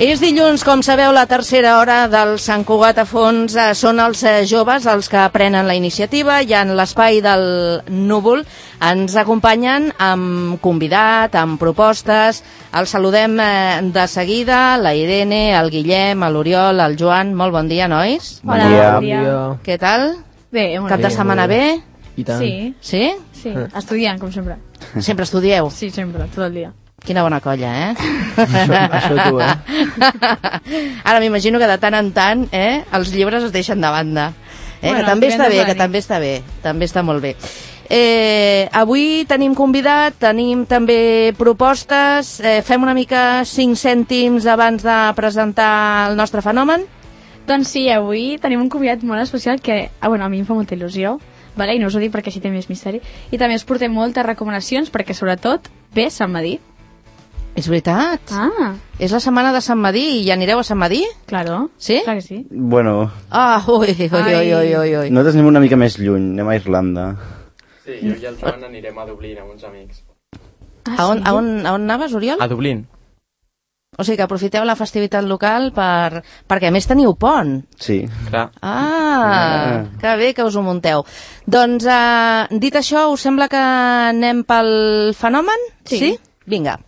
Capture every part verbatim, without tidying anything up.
És dilluns, com sabeu, la tercera hora del Sant Cugat a fons. Eh, són els eh, joves els que prenen la iniciativa i en l'espai del Núvol ens acompanyen amb convidat, amb propostes. Els saludem eh, de seguida, la Irene, el Guillem, l'Oriol, el Joan. Molt bon dia, nois. Hola, bon dia. Bon dia. Què tal? Bé, molt Cap de bé, setmana bé? I tant. Sí. Sí? Sí, estudiant, com sempre. Sempre estudieu? Sí, sempre, tot el dia. Quina bona colla, eh? Això, això tu, eh? Ara m'imagino que de tant en tant eh, els llibres es deixen de banda. Eh? Bueno, que també està bé, que nit. també està bé. També està molt bé. Eh, avui tenim convidat, tenim també propostes. Eh, fem una mica cinc cèntims abans de presentar el nostre fenomen? Doncs sí, avui tenim un convidat molt especial que, ah, bueno, a mi em fa molta il·lusió, vale? I no us ho dic perquè així té més misteri. I també us portem moltes recomanacions perquè, sobretot, ve Sant Madí. És veritat. Ah. És la setmana de Sant Madí i ja anireu a Sant Madí? Claro. Sí? Clar que sí. Bueno, Ah, ui, ui, ui, ui, ui, ui. nosaltres anem una mica més lluny, anem a Irlanda. Sí, jo i el Joan anirem a Dublín amb uns amics. Ah, A on, sí? a on, a on anaves, Oriol? A Dublín? O sigui que aprofiteu la festivitat local per... perquè a més teniu pont. Sí. Clar. Ah, que bé que us ho munteu. Doncs, eh, dit això, us sembla que anem pel fenomen? Sí. Sí? Vinga.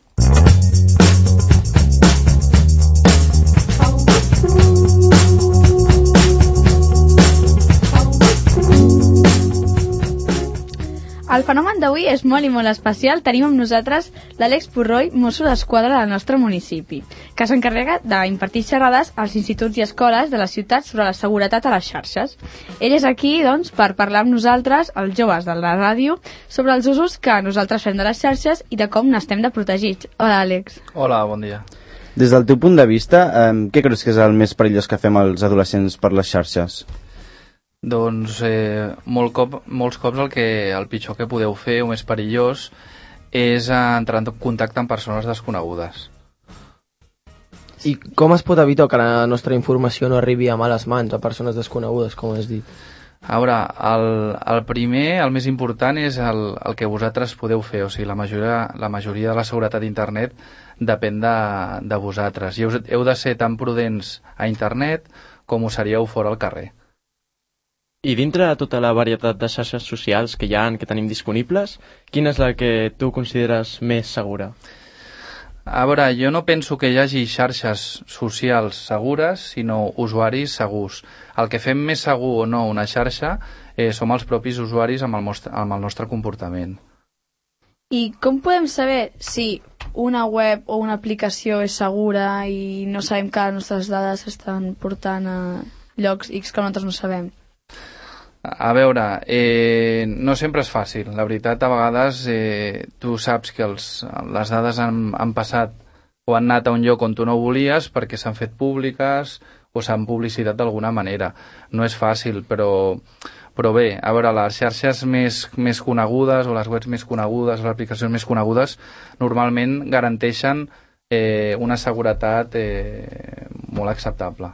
El fenomen d'avui és molt i molt especial. Tenim amb nosaltres l'Àlex Purroy, mosso d'esquadra del nostre municipi, que s'encarrega d'impartir xerrades als instituts i escoles de la ciutat sobre la seguretat a les xarxes. Ell és aquí, doncs, per parlar amb nosaltres, els joves de la ràdio, sobre els usos que nosaltres fem de les xarxes i de com n'estem de protegits. Hola, Àlex. Hola, bon dia. Des del teu punt de vista, eh, què creus que és el més perillós que fem els adolescents per les xarxes? Doncs eh, molt cop, molts cops el, que, el pitjor que podeu fer, o més perillós, és eh, entrar en contacte amb persones desconegudes. I com es pot evitar que la nostra informació no arribi a males mans, a persones desconegudes, com has dit? A veure, el, el primer, el més important, és el, el que vosaltres podeu fer. O sigui, la majoria, la majoria de la seguretat d'internet depèn de, de vosaltres. I heu, heu de ser tan prudents a internet com ho seríeu fora al carrer. I dintre de tota la varietat de xarxes socials que hi ha, que tenim disponibles, quina és la que tu consideres més segura? A veure, jo no penso que hi hagi xarxes socials segures, sinó usuaris segurs. El que fem més segur o no una xarxa eh, som els propis usuaris amb el, nostre, amb el nostre comportament. I com podem saber si una web o una aplicació és segura i no sabem que les nostres dades s'estan portant a llocs X que nosaltres no sabem? A veure, eh, no sempre és fàcil. La veritat, a vegades eh, tu saps que els, les dades han, han passat o han anat a un lloc on tu no volies perquè s'han fet públiques o s'han publicitat d'alguna manera. No és fàcil, però, però bé, a veure, les xarxes més, més conegudes o les webs més conegudes, les aplicacions més conegudes, normalment garanteixen eh, una seguretat eh, molt acceptable.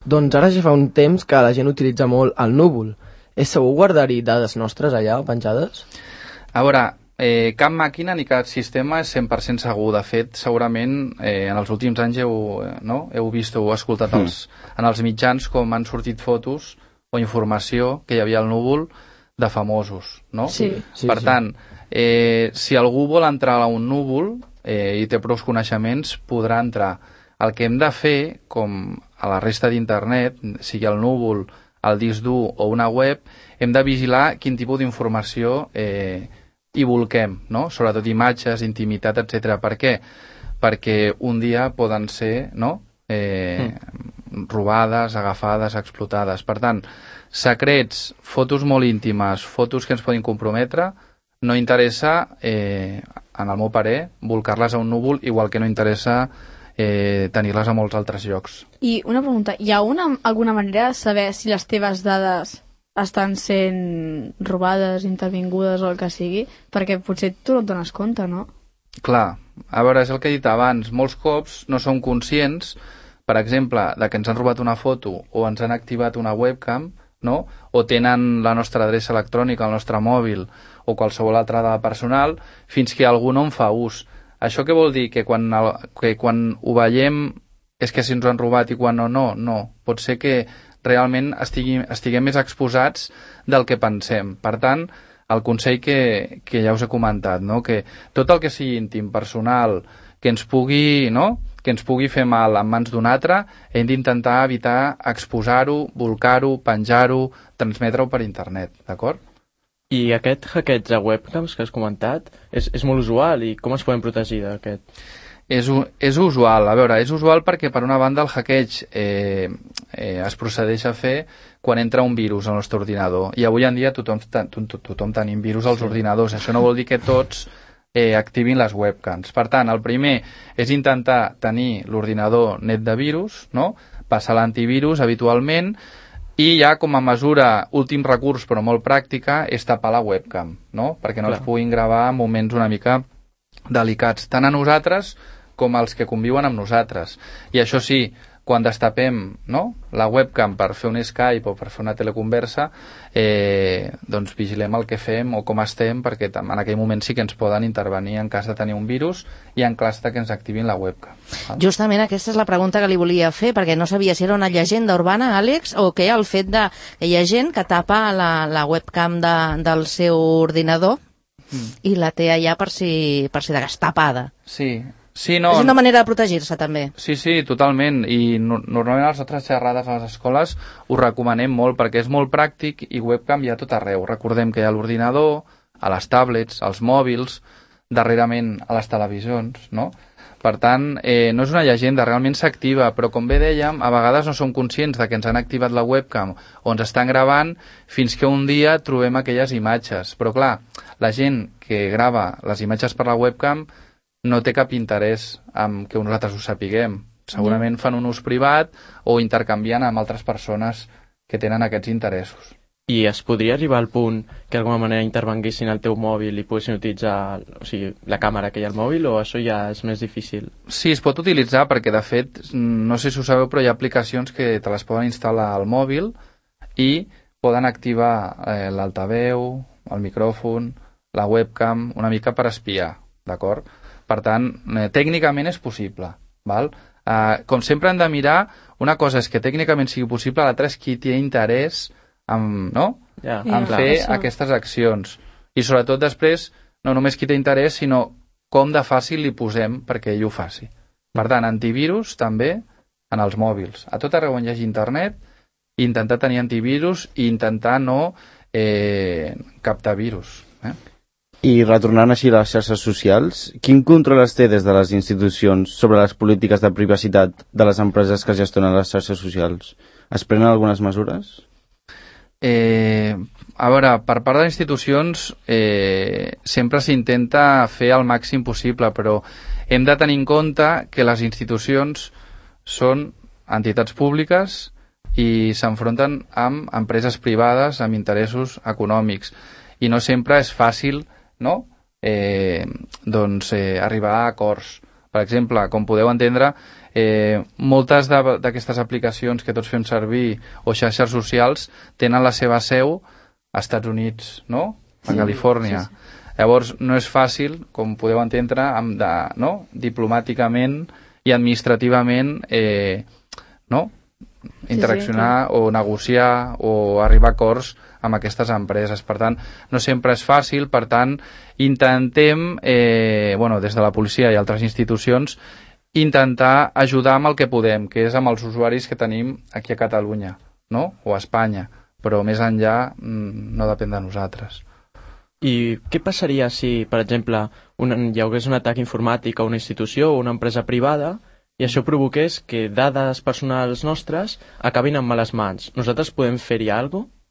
Doncs ara ja fa un temps que la gent utilitza molt el núvol. És segur guardar-hi dades nostres allà, penjades? A veure, eh, cap màquina ni cap sistema és cent per cent segur. De fet, segurament eh, en els últims anys heu, eh, no? heu vist o heu escoltat els, en els mitjans com han sortit fotos o informació que hi havia al núvol de famosos, no? Sí. Sí, per sí. tant, eh, si algú vol entrar a un núvol eh, i té prou coneixements, podrà entrar. El que hem de fer, com a la resta d'internet, sigui el núvol, el disc dur o una web, hem de vigilar quin tipus d'informació eh, hi volquem, no? Sobretot imatges, intimitat, etcètera. Per què? Perquè un dia poden ser, no? eh, mm. robades, agafades, explotades. Per tant, secrets, fotos molt íntimes, fotos que ens poden comprometre, no interessa, eh, en el meu parer, volcar-les a un núvol, igual que no interessa eh, tenir-les a molts altres llocs. I una pregunta, hi ha una, alguna manera de saber si les teves dades estan sent robades, intervingudes o el que sigui? Perquè potser tu no et dones compte, no? Clar, a veure, és el que he dit abans, molts cops no som conscients, per exemple, de que ens han robat una foto o ens han activat una webcam, no? O tenen la nostra adreça electrònica, el nostre mòbil o qualsevol altra dada personal, fins que algú no en fa ús. Això què vol dir? Que quan, el, que quan ho veiem és que si ens ho han robat i quan no, no, no. Pot ser que realment estiguem, estiguem més exposats del que pensem. Per tant, el consell que, que ja us he comentat, no? Que tot el que sigui íntim, personal, que ens pugui, no? que ens pugui fer mal en mans d'un altre, hem d'intentar evitar exposar-ho, volcar-ho, penjar-ho, transmetre-ho per internet, d'acord? I aquest hackeig de webcams que has comentat és, és molt usual, i com es podem protegir d'aquest? És, és usual, a veure, és usual perquè per una banda el hackeig eh, eh, es procedeix a fer quan entra un virus al nostre ordinador, i avui en dia tothom, tothom, tothom tenim virus als sí. ordinadors. Això no vol dir que tots eh, activin les webcams. Per tant, el primer és intentar tenir l'ordinador net de virus, no? Passar l'antivirus habitualment, i ja com a mesura, últim recurs però molt pràctica, és tapar la webcam, no? Perquè no Clar. ens puguin gravar en moments una mica delicats, tant a nosaltres com als que conviuen amb nosaltres. I això sí, quan destapem, no? la webcam per fer un Skype o per fer una teleconversa, eh, doncs vigilem el que fem o com estem, perquè en aquell moment sí que ens poden intervenir en cas de tenir un virus i en cas de que ens activin la webcam. Val? Justament aquesta és la pregunta que li volia fer, perquè no sabia si era una llegenda urbana, Àlex, o què el fet de que hi ha gent que tapa la, la webcam de, del seu ordinador mm. i la té allà per si, per si de cas tapada. Sí, Sí, no, és una manera de protegir-se, també. Sí, sí, totalment. I no, normalment a les nostres xerrades a les escoles ho recomanem molt perquè és molt pràctic i webcam hi ha tot arreu. Recordem que hi ha l'ordinador, a les tablets, als mòbils, darrerament a les televisions, no? Per tant, eh, no és una llegenda, realment s'activa, però com bé dèiem, a vegades no som conscients de que ens han activat la webcam o ens estan gravant fins que un dia trobem aquelles imatges. Però clar, la gent que grava les imatges per la webcam no té cap interès en que nosaltres ho sapiguem. Segurament fan un ús privat o intercanvien amb altres persones que tenen aquests interessos. I es podria arribar al punt que d'alguna manera intervenguessin al teu mòbil i poguessin utilitzar, o sigui, la càmera que hi ha al mòbil, o això ja és més difícil? Sí, es pot utilitzar perquè, de fet, no sé si ho sabeu, però hi ha aplicacions que te les poden instal·lar al mòbil i poden activar eh, l'altaveu, el micròfon, la webcam, una mica per espiar, d'acord? Per tant, eh, tècnicament és possible. Val? Eh, com sempre hem de mirar, una cosa és que tècnicament sigui possible, l'altra és qui té interès en, no? ja, en clar, fer això. aquestes accions. I sobretot després, no només qui té interès, sinó com de fàcil li posem perquè ell ho faci. Per tant, antivirus també en els mòbils. A tot arreu on hi hagi internet, intentar tenir antivirus i intentar no eh, captar virus. Eh? I retornant així a les xarxes socials, quin control es té des de les institucions sobre les polítiques de privacitat de les empreses que gestionen les xarxes socials? Es prenen algunes mesures? Eh, a veure, per part de les institucions eh, sempre s'intenta fer el màxim possible, però hem de tenir en compte que les institucions són entitats públiques i s'enfronten amb empreses privades amb interessos econòmics i no sempre és fàcil, no? eh, doncs, eh, arribar a acords. Per exemple, com podeu entendre, eh, moltes d'aquestes aplicacions que tots fem servir o xarxes socials tenen la seva seu als Estats Units, no? A sí, Califòrnia. Sí, sí. Llavors, no és fàcil, com podeu entendre, amb de, no? diplomàticament i administrativament eh, no? interaccionar sí, sí, o negociar o arribar a acords amb aquestes empreses. Per tant, no sempre és fàcil, per tant, intentem, eh, bueno, des de la policia i altres institucions, intentar ajudar amb el que podem, que és amb els usuaris que tenim aquí a Catalunya, no? O a Espanya, però més enllà no depèn de nosaltres. I què passaria si, per exemple, un, hi hagués un atac informàtic a una institució o una empresa privada i això provoqués que dades personals nostres acabin en males mans? Nosaltres podem fer-hi alguna cosa?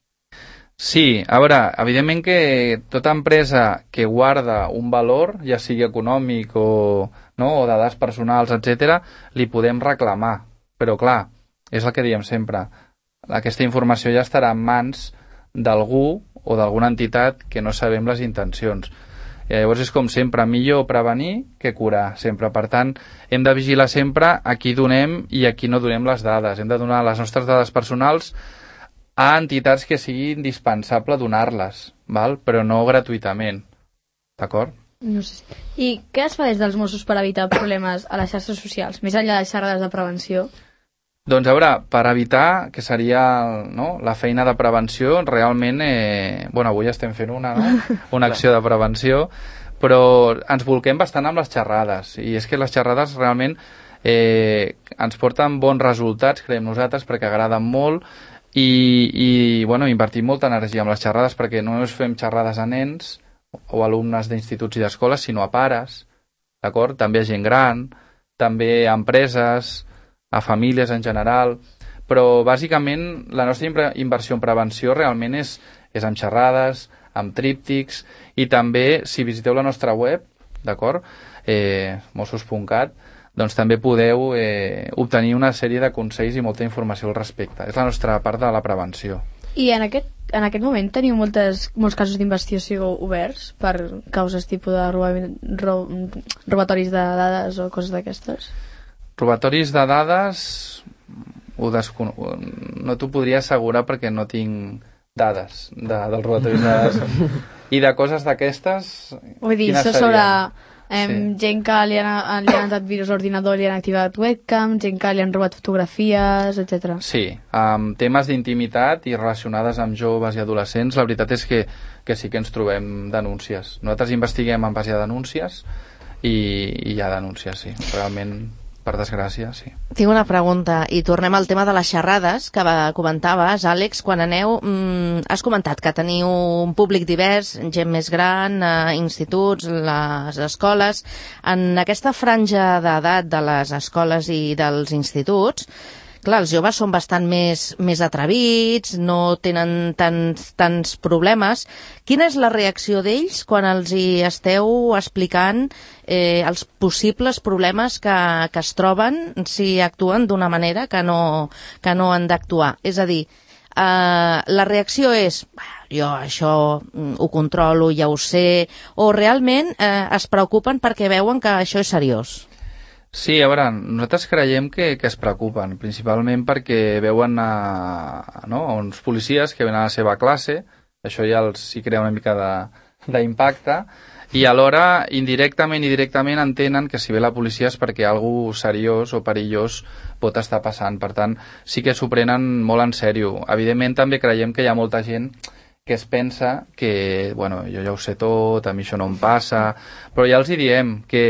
Sí, a veure, evidentment que tota empresa que guarda un valor, ja sigui econòmic o, no, o de dades personals, etcètera, li podem reclamar. Però clar, és el que diem sempre, aquesta informació ja estarà en mans d'algú o d'alguna entitat que no sabem les intencions. I llavors és com sempre, millor prevenir que curar, sempre. Per tant, hem de vigilar sempre a qui donem i a qui no donem les dades. Hem de donar les nostres dades personals a entitats que sigui indispensable donar-les, val? Però no gratuïtament, d'acord? No sé. I què es fa des dels Mossos per evitar problemes a les xarxes socials, més enllà de xerrades de prevenció? Doncs a veure, per evitar, que seria, no, la feina de prevenció, realment, eh, bueno, avui estem fent una, no? Una acció de prevenció, però ens volquem bastant amb les xerrades, i és que les xerrades realment eh, ens porten bons resultats, creiem nosaltres, perquè agraden molt, i, i bueno, invertim molta energia amb les xerrades, perquè no només fem xerrades a nens o alumnes d'instituts i d'escoles, sinó a pares, d'acord? També a gent gran, també a empreses, a famílies en general, però bàsicament la nostra inversió en prevenció realment és, és amb xerrades, amb tríptics, i també si visiteu la nostra web, d'acord, eh, mossos punt cat, doncs també podeu eh, obtenir una sèrie de consells i molta informació al respecte. És la nostra part de la prevenció. I en aquest, en aquest moment teniu moltes, molts casos d'investigació oberts per causes tipus de roba, ro, robatoris de dades o coses d'aquestes? Robatoris de dades ho descon... no t'ho podria assegurar perquè no tinc dades de, dels robatoris de dades. I de coses d'aquestes... Vull dir, això sobre eh, sí. gent que li han, li han entrat virus a l'ordinador, li han activat webcam, gent que li han robat fotografies, etcètera. Sí, amb temes d'intimitat i relacionades amb joves i adolescents, la veritat és que, que sí que ens trobem denúncies. Nosaltres investiguem en base a denúncies i, i hi ha denúncies, sí. Realment... per desgràcia, sí. Tinc una pregunta, i tornem al tema de les xerrades que va, comentaves, Àlex, quan aneu, mmm, has comentat que teniu un públic divers, gent més gran, eh, instituts, les escoles. En aquesta franja d'edat de les escoles i dels instituts, clar, els joves són bastant més, més atrevits, no tenen tants, tants problemes. Quina és la reacció d'ells quan els hi esteu explicant eh, els possibles problemes que, que es troben si actuen d'una manera que no, que no han d'actuar? És a dir, eh, la reacció és jo això ho controlo, ja ho sé, o realment eh, es preocupen perquè veuen que això és seriós? Sí, a veure, nosaltres creiem que, que es preocupen, principalment perquè veuen a, no, a uns policies que venen a la seva classe, això ja els hi crea una mica d'impacte, i alhora, indirectament i directament, entenen que si ve la policia és perquè algú seriós o perillós pot estar passant. Per tant, sí que s'ho prenen molt en sèrio. Evidentment, també creiem que hi ha molta gent que es pensa que, bueno, jo ja ho sé tot, a mi això no em passa, però ja els hi diem que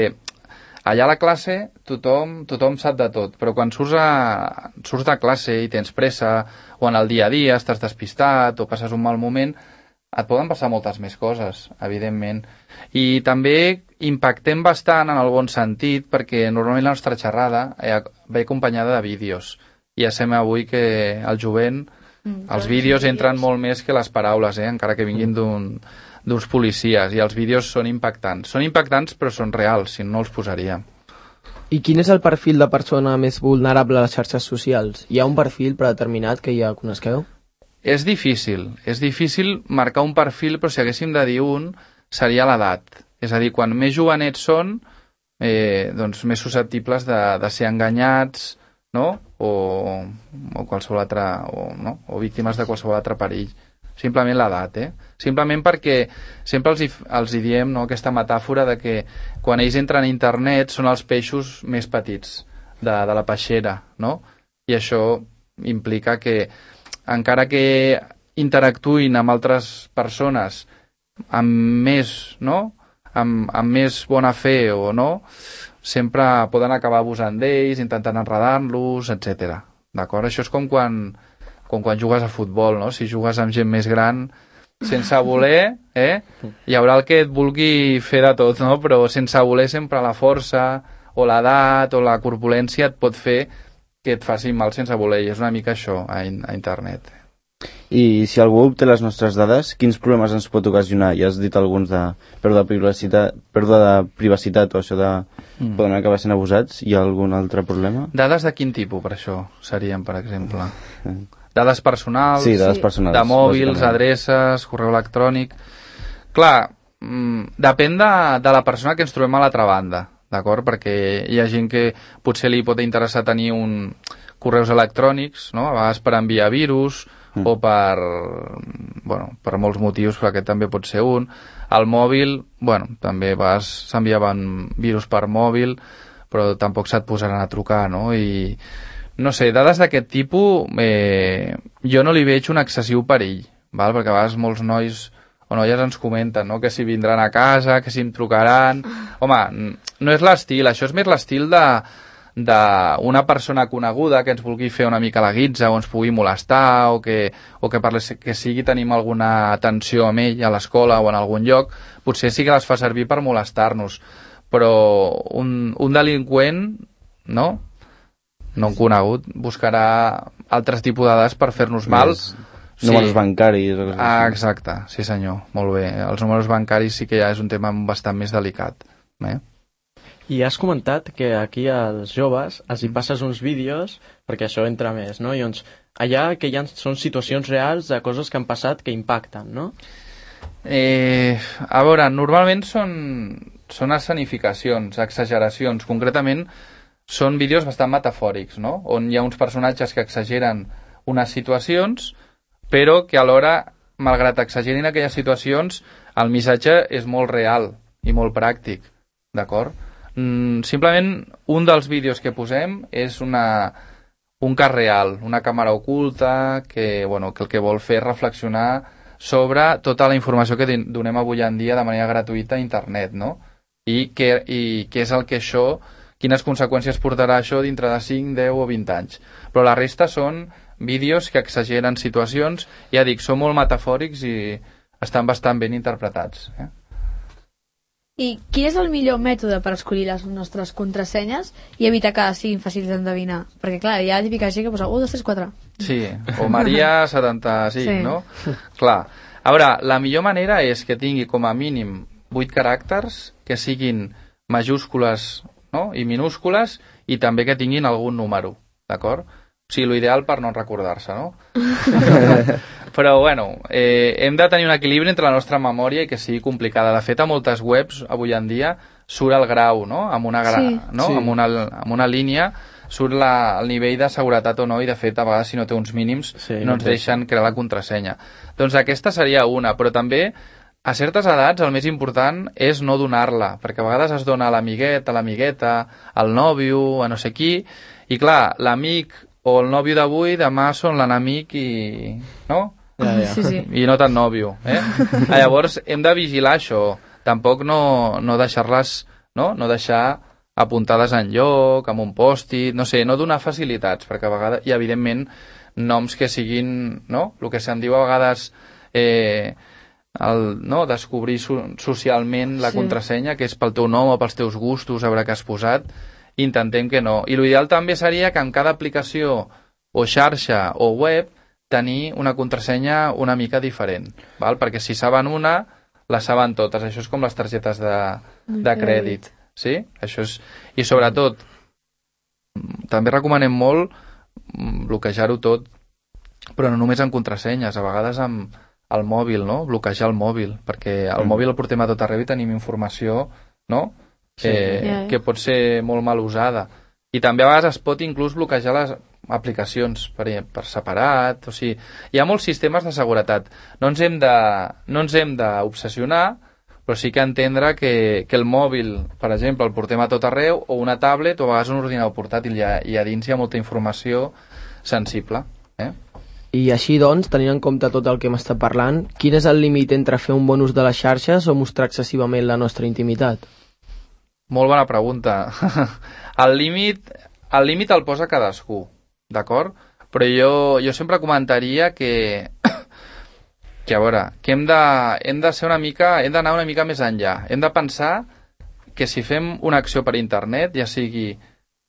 allà a la classe tothom, tothom sap de tot, però quan surts, a, surts de classe i tens pressa, o en el dia a dia estàs despistat, o passes un mal moment, et poden passar moltes més coses, evidentment. I també impactem bastant en el bon sentit, perquè normalment la nostra xerrada ve acompanyada de vídeos. I ja sabem avui que el jovent, mm, els vídeos entren molt més que les paraules, eh? Encara que vinguin d'un... d'uns policies, i els vídeos són impactants. Són impactants però són reals, si no, no els posaríem. I quin és el perfil de persona més vulnerable a les xarxes socials? Hi ha un perfil predeterminat que ja conegueu? És difícil, és difícil marcar un perfil, però si haguéssim de dir un, seria l'edat. És a dir, quan més jovenets són, eh, doncs més susceptibles de, de ser enganyats, no? O, o qualsevol altre, o, no? o víctimes de qualsevol altre perill. Simplement l'edat, eh? Simplement perquè sempre els hi, els hi diem, no, aquesta metàfora de que quan ells entren a internet són els peixos més petits de, de la peixera, no? I això implica que encara que interactuïn amb altres persones amb més, no? Amb, amb més bona fe o no, sempre poden acabar abusant d'ells, intentant enredar-los, etcètera. D'acord? Això és com quan... com quan jugues a futbol, no? Si jugues amb gent més gran, sense voler, eh? Hi haurà el que et vulgui fer de tot, no? Però sense voler sempre la força o l'edat o la corpulència et pot fer que et faci mal sense voler, i és una mica això a, in a internet. I si algú obté les nostres dades, quins problemes ens pot ocasionar? Ja has dit alguns de pèrdua de privacitat, pèrdua de privacitat o això de mm. poden acabar sent abusats. Hi ha algun altre problema? Dades de quin tipus, per això, serien, per exemple? Dades personals, sí, dades personals, de mòbils, adreces, correu electrònic... Clar, mmm, depèn de, de la persona que ens trobem a l'altra banda, d'acord? Perquè hi ha gent que potser li pot interessar tenir un correus electrònics, no? A vegades per enviar virus, mm. o per, bueno, per molts motius, però aquest també pot ser un. Al mòbil, bueno, també vas, s'enviaven virus per mòbil, però tampoc se't posaran a trucar, no? I, no sé, dades d'aquest tipus, eh, jo no li veig un excessiu perill, val? Perquè a vegades molts nois o noies ens comenten, no?, que si vindran a casa, que si em trucaran... Home, no és l'estil, això és més l'estil de d'una persona coneguda que ens vulgui fer una mica la guitza o ens pugui molestar o que, o que, per les, que sigui tenim alguna atenció amb ell a l'escola o en algun lloc, potser sí que les fa servir per molestar-nos, però un, un delinqüent, no? No un conegut, buscarà altres tipus de dades per fer-nos mal. Sí. Números bancaris. O ah, exacte, sí senyor, molt bé. Els números bancaris sí que ja és un tema bastant més delicat. Eh? I has comentat que aquí als joves els hi passes uns vídeos perquè això entra més, no? I doncs allà que hi ha, són situacions reals de coses que han passat que impacten, no? Eh, a veure, normalment són, són escenificacions, exageracions. Concretament són vídeos bastant metafòrics, no? On hi ha uns personatges que exageren unes situacions, però que alhora, malgrat exagerin aquelles situacions, el missatge és molt real i molt pràctic, d'acord? Mm, simplement, un dels vídeos que posem és una, un cas real, una càmera oculta que, bueno, que el que vol fer és reflexionar sobre tota la informació que donem avui en dia de manera gratuïta a internet, no? I què, i què és el que això, quines conseqüències portarà això dintre de cinc, deu o vint anys. Però la resta són vídeos que exageren situacions, ja dic, són molt metafòrics i estan bastant ben interpretats. Eh? I quin és el millor mètode per escollir les nostres contrasenyes i evitar que siguin fàcils d'endevinar? Perquè, clar, hi ha la típica gent que posa un, dos, tres, quatre. Sí, o Maria setanta-cinc, sí. No? Clar. A veure, la millor manera és que tingui com a mínim vuit caràcters, que siguin majúscules, no?, i minúscules, i també que tinguin algun número, d'acord? O sigui, l'ideal per no recordar-se, no? Però, bueno, eh, hem de tenir un equilibri entre la nostra memòria i que sigui complicada. De fet, a moltes webs, avui en dia, surt el grau, no?, amb una, gra... sí. no? Sí. Amb una, amb una línia, surt la, el nivell de seguretat o no, i de fet, a vegades, si no té uns mínims, sí, no ens deixen crear la contrasenya. Doncs aquesta seria una, però també, a certes edats, el més important és no donar-la, perquè a vegades es dona a l'amiguet, a l'amigueta, al nòvio, a no sé qui, i clar, l'amic o el nòvio d'avui, demà són l'enemic i... no? Ja, ja. Sí, sí. I no tan nòvio, eh? Llavors, hem de vigilar això. Tampoc no, no deixar-les, no? No deixar apuntades en lloc, amb un pòstit, no sé, no donar facilitats, perquè a vegades, i evidentment, noms que siguin, no? El que se'n diu a vegades... Eh, el, no? Descobrir so, socialment la sí. contrasenya, que és pel teu nom o pels teus gustos, a veure què has posat, intentem que no. I l'ideal també seria que en cada aplicació o xarxa o web tenir una contrasenya una mica diferent, val? Perquè si saben una, la saben totes. Això és com les targetes de, de crèdit. Sí? Això és... I sobretot, també recomanem molt bloquejar-ho tot, però no només en contrasenyes, a vegades amb el mòbil, no? Bloquejar el mòbil, perquè el mm. mòbil el portem a tot arreu i tenim informació, no? Sí. Eh, yeah. que pot ser molt mal usada. I també a vegades es pot inclús bloquejar les aplicacions per, per separat. O sigui, hi ha molts sistemes de seguretat. No ens hem de, no ens hem d'obsessionar, però sí que entendre que, que el mòbil, per exemple, el portem a tot arreu, o una tablet, o a vegades un ordinador portàtil, i a, i a dins hi ha molta informació sensible. Eh? I així, doncs, tenint en compte tot el que hem estat parlant, quin és el límit entre fer un bon ús de les xarxes o mostrar excessivament la nostra intimitat? Molt bona pregunta. El límit el límit el posa cadascú, d'acord? Però jo, jo sempre comentaria que, que a veure, que hem de, hem de ser una mica, hem d'anar una mica més enllà. Hem de pensar que si fem una acció per internet, ja sigui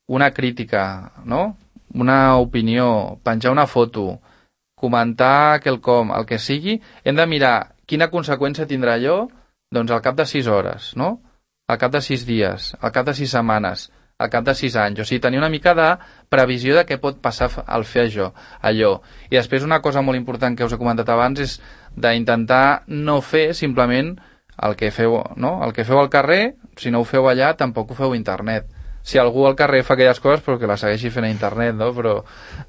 una crítica, no?, una opinió, penjar una foto, comentar quelcom, el que sigui, hem de mirar quina conseqüència tindrà allò, doncs al cap de sis hores, no?, al cap de sis dies, al cap de sis setmanes, al cap de sis anys. O sigui, tenir una mica de previsió de què pot passar al fer això, allò. I després una cosa molt important que us he comentat abans és d'intentar no fer simplement el que feu, no? El que feu al carrer, si no ho feu allà, tampoc ho feu a internet. Si algú al carrer fa aquelles coses, però que la segueixi fent a internet, no? Però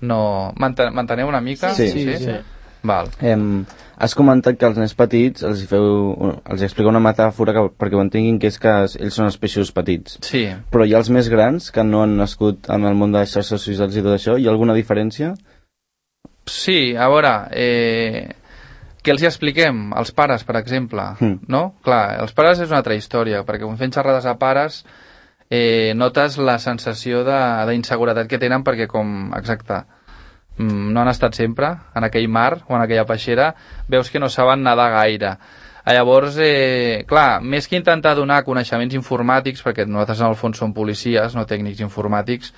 no... Manteneu una mica? Sí, sí. sí. sí. Val. Eh, has comentat que als nens petits els hi feu, els hi explica una metàfora que, perquè ho entenguin, que és que ells són els peixos petits. Sí. Però hi ha els més grans que no han nascut en el món de les xarxes socials i tot això. Hi ha alguna diferència? Sí, a veure, eh, què els hi expliquem? Els pares, per exemple, mm. no? Clar, els pares és una altra història, perquè quan fem xerrades a pares eh, notes la sensació d'inseguretat que tenen perquè, com, exacte, no han estat sempre en aquell mar o en aquella peixera, veus que no saben nedar gaire. Llavors, eh, clar, més que intentar donar coneixements informàtics, perquè nosaltres en el fons som policies, no tècnics informàtics,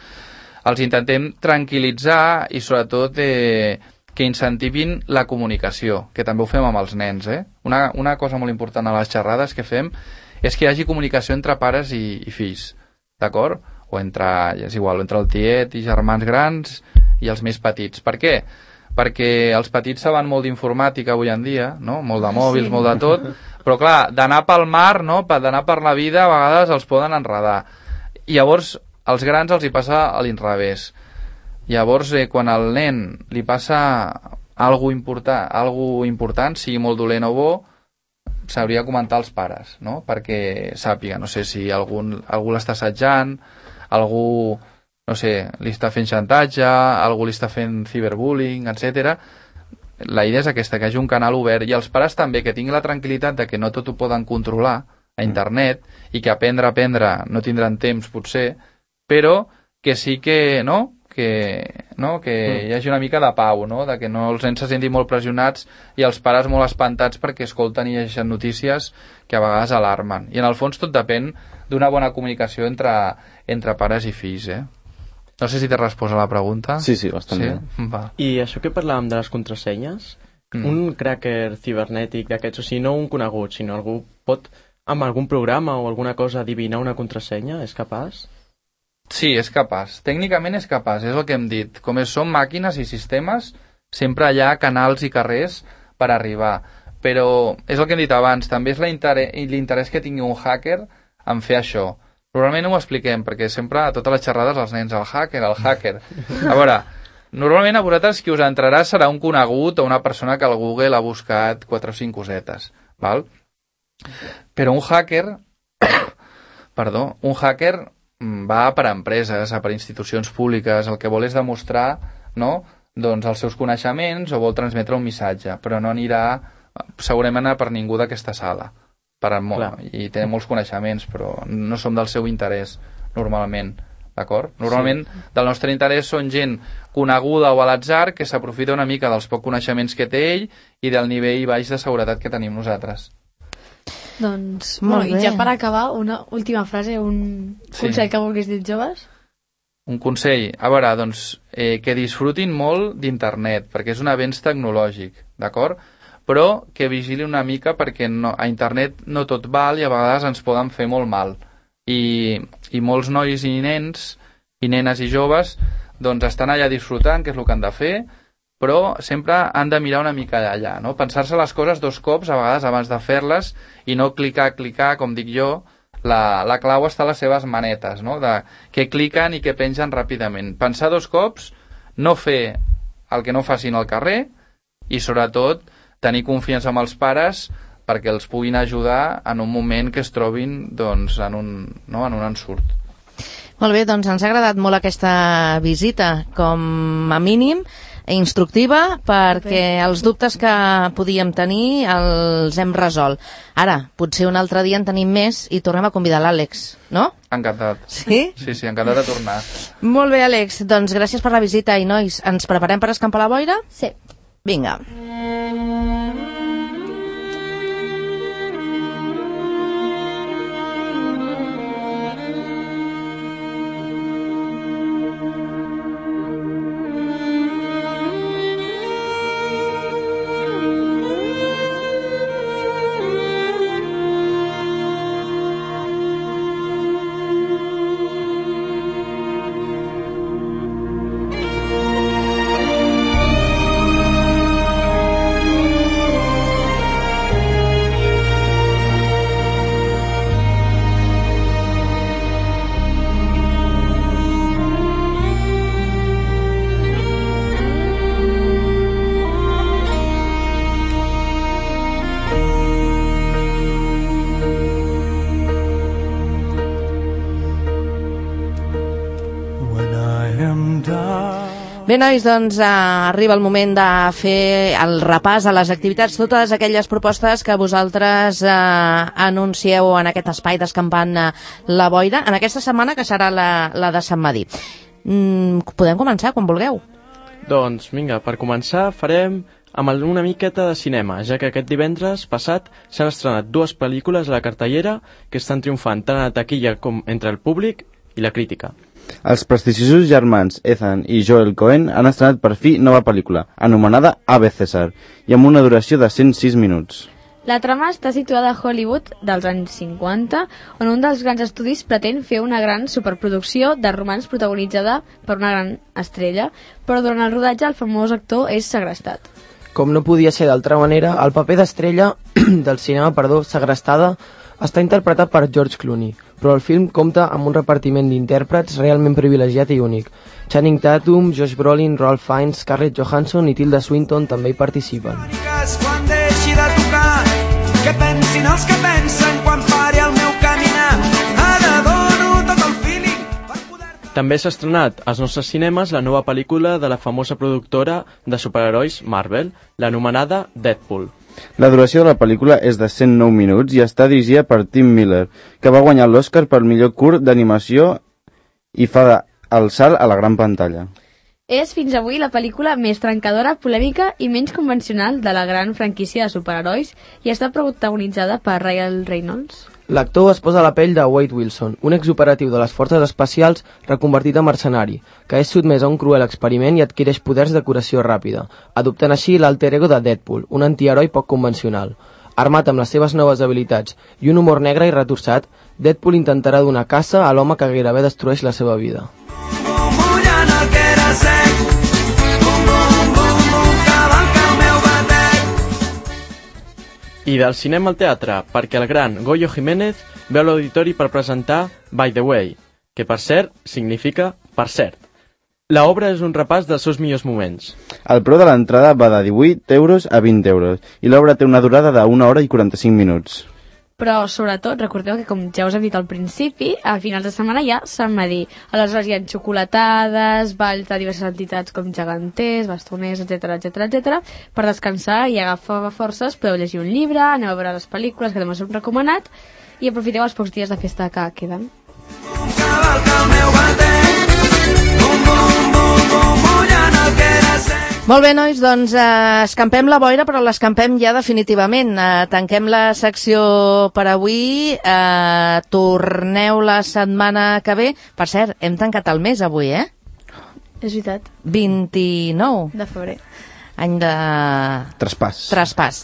els intentem tranquil·litzar i sobretot eh, que incentivin la comunicació, que també ho fem amb els nens. Eh? Una, una cosa molt important a les xerrades que fem és que hi hagi comunicació entre pares i, i fills, d'acord? O entre, és igual, entre el tiet i germans grans i els més petits. Per què? Perquè els petits saben molt d'informàtica avui en dia, no? Molt de mòbils, sí. molt de tot, però clar, d'anar pel mar, no? d'anar per la vida, a vegades els poden enredar. I llavors, als grans els hi passa a l'inrevés. Llavors, eh, quan al nen li passa algo important, algo important, sigui molt dolent o bo, s'hauria de comentar als pares, no? Perquè sàpiga, no sé si algun, algú l'està assetjant, algú, no sé, li està fent xantatge, algú li està fent ciberbullying, etcètera. La idea és aquesta, que hi hagi un canal obert, i els pares també, que tinguin la tranquil·litat de que no tot ho poden controlar a internet, i que aprendre a aprendre no tindran temps, potser, però que sí que, no?, que, no? que hi hagi una mica de pau, no? De que no els nens se sentin molt pressionats i els pares molt espantats perquè escolten i llegeixen notícies que a vegades alarmen. I en el fons tot depèn d'una bona comunicació entre, entre pares i fills, eh? No sé si t'he respost a la pregunta. Sí, sí, bastant sí? bé. Va. I això que parlàvem de les contrasenyes, mm. un cracker cibernètic d'aquests, o sigui, no un conegut, sinó algú pot, amb algun programa o alguna cosa, adivinar una contrasenya? És capaç? Sí, és capaç. Tècnicament és capaç, és el que hem dit. Com són màquines i sistemes, sempre hi ha canals i carrers per arribar. Però és el que hem dit abans, també és l'interès que tingui un hacker en fer això. Normalment ho expliquem, perquè sempre a totes les xerrades els nens, el hacker, el hacker. A veure, normalment a vosaltres qui us entrarà serà un conegut o una persona que al Google ha buscat quatre o cinc cosetes, val? Però un hacker, perdó, un hacker va per a empreses, per a institucions públiques, el que vol és demostrar, no?, doncs els seus coneixements o vol transmetre un missatge, però no anirà segurament per ningú d'aquesta sala. Per molt, i té molts coneixements, però no som del seu interès normalment, d'acord? Normalment sí. Del nostre interès són gent coneguda o a l'atzar que s'aprofita una mica dels pocs coneixements que té ell i del nivell baix de seguretat que tenim nosaltres. Doncs, molt bueno, bé. I ja per acabar, una última frase, un sí. consell que vulguis dir, joves? Un consell? A veure, doncs, eh, que disfrutin molt d'internet, perquè és un avenç tecnològic, d'acord? Però que vigili una mica perquè no, a internet no tot val i a vegades ens poden fer molt mal. I, i molts nois i nens, i nenes i joves, doncs estan allà disfrutant, que és el que han de fer, però sempre han de mirar una mica allà, no? Pensar-se les coses dos cops a vegades abans de fer-les i no clicar, clicar, com dic jo, la, la clau està a les seves manetes, no? De que cliquen i que pengen ràpidament. Pensar dos cops, no fer el que no facin al carrer i sobretot tenir confiança amb els pares perquè els puguin ajudar en un moment que es trobin doncs, en, un, no? en un ensurt. Molt bé, doncs ens ha agradat molt aquesta visita, com a mínim instructiva, perquè els dubtes que podíem tenir els hem resolt. Ara, potser un altre dia en tenim més i tornem a convidar l'Àlex, no? Encantat. Sí? Sí, sí, encantat de tornar. Molt bé, Àlex, doncs gràcies per la visita i nois, ens preparem per escampar la boira? Sí. Vinga. Bé, nois, doncs eh, arriba el moment de fer el repàs a les activitats, totes aquelles propostes que vosaltres eh, anuncieu en aquest espai d'Escampant eh, la Boira, en aquesta setmana, que serà la, la de Sant Madí. Mm, podem començar, quan vulgueu. Doncs, vinga, per començar farem amb una miqueta de cinema, ja que aquest divendres passat s'han estrenat dues pel·lícules a la cartellera que estan triomfant tant a la taquilla com entre el públic i la crítica. Els prestigiosos germans Ethan i Joel Cohen han estrenat per fi nova pel·lícula, anomenada Ave César, i amb una duració de cent sis minuts. La trama està situada a Hollywood dels anys cinquanta, on un dels grans estudis pretén fer una gran superproducció de romans protagonitzada per una gran estrella, però durant el rodatge el famós actor és segrestat. Com no podia ser d'altra manera, el paper d'estrella del cinema, perdó, segrestada, està interpretat per George Clooney, però el film compta amb un repartiment d'intèrprets realment privilegiat i únic. Channing Tatum, Josh Brolin, Ralph Fiennes, Scarlett Johansson i Tilda Swinton també hi participen. Quan deixi de tocar, que pensin els que pensen quan pari el meu caminar. Ara dono tot el feeling per poder... També s'ha estrenat als nostres cinemes la nova pel·lícula de la famosa productora de superherois Marvel, l'anomenada Deadpool. La duració de la pel·lícula és de cent nou minuts i està dirigida per Tim Miller, que va guanyar l'Oscar per millor curt d'animació i fa el salt a la gran pantalla. És fins avui la pel·lícula més trencadora, polèmica i menys convencional de la gran franquícia de superherois i està protagonitzada per Ryan Reynolds. L'actor es posa a la pell de Wade Wilson, un exoperatiu de les forces especials reconvertit en mercenari, que és sotmès a un cruel experiment i adquireix poders de curació ràpida, adoptant així l'alter ego de Deadpool, un antiheroi poc convencional. Armat amb les seves noves habilitats i un humor negre i retorçat, Deadpool intentarà donar caça a l'home que gairebé destrueix la seva vida. Mullant el que era sec, bum, bum, bum, bum, cavalca el meu batec. I del cinema al teatre, perquè el gran Goyo Jiménez veu l'auditori per presentar By the Way, que per cert significa per cert. La obra és un repàs dels seus millors moments. El preu de l'entrada va de divuit euros a vint euros i l'obra té una durada d'una hora i quaranta-cinc minuts. Però, sobretot, recordeu que, com ja us hem dit al principi, a finals de setmana hi ha Sant Madí. Aleshores hi ha xocolatades, balls de diverses entitats com geganters, bastoners, etcètera, etcètera, etcètera. Per descansar i agafar forces podeu llegir un llibre, aneu a veure les pel·lícules que també us hem recomanat i aprofiteu els pocs dies de festa que queden. Cavalca el meu batec, bum, bum, bum, bum, mullant el que era sec. Molt bé, nois, doncs eh, escampem la boira, però l'escampem ja definitivament. Eh, tanquem la secció per avui, eh, torneu la setmana que ve. Per cert, hem tancat el mes avui, eh? És veritat. vint-i-nou De febrer. Any de... Traspàs. Traspàs.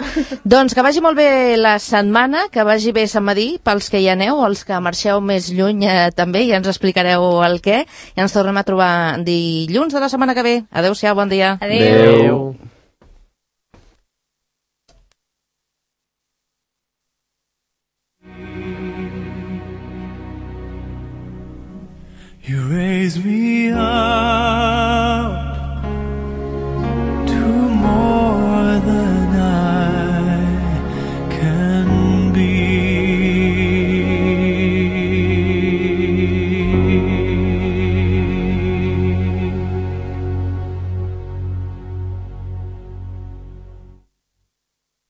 Doncs que vagi molt bé la setmana, que vagi bé Sant Madí, pels que hi aneu, els que marxeu més lluny eh, també, ja ens explicareu el què. I ens tornem a trobar dilluns de la setmana que ve. Adéu-siau, bon dia. Adéu. Adéu. You raise me up.